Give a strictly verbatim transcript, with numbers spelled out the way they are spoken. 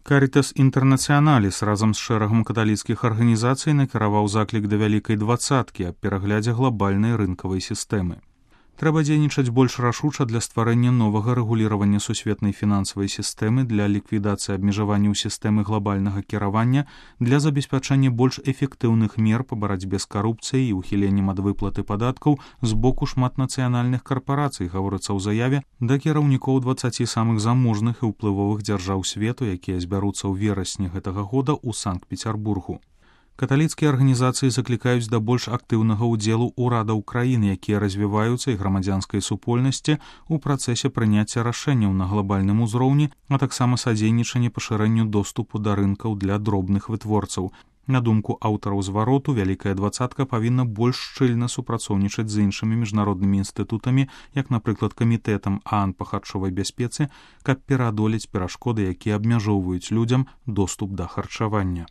Карітас Інтэрнацыяналіс разам з шэрагам каталіцкіх арганізацый накіраваў заклік да вялікай дваццаткі аб пераглядзе глабальнай рынкавай сістэмы. Трэба дзейнічаць больш рашуча для стварэння новага рэгуліравання сусветнай фінансавай сістэмы, для ліквідацыі абмежаванняў сістэмы глабальнага кіравання, для забеспячэння больш эфектыўных мер па барацьбе з карупцыяй і ўхіленнем ад выплаты падаткаў з боку шматнацыянальных карпарацый, гаворыцца ў заяве да кіраўнікоў дваццаці самых заможных і ўплывовых дзяржаў свету, якія збяруцца ў верасні гэтага года ў Санкт-Пецярбургу. Каталіцкія арганізацыі заклікаюць да больш актыўнага ўдзелу ўрадаў краін, якія развіваюцца, і грамадзянскай супольнасці ў працэсе прыняцця рашэнняў на глобальным узроўні, а таксама садзейнічанне пашырэнню доступу да рынкаў для дробных вытворцаў. На думку аўтараў звароту, вялікая дваццатка павінна больш шчыльна супрацоўнічаць з іншымі міжнароднымі інстытутамі, як, напрыклад, камітэтам ААН па харчовай бяспецы, каб пераадолець перашкоды, якія абмяжоўваюць людзям доступ да харчавання.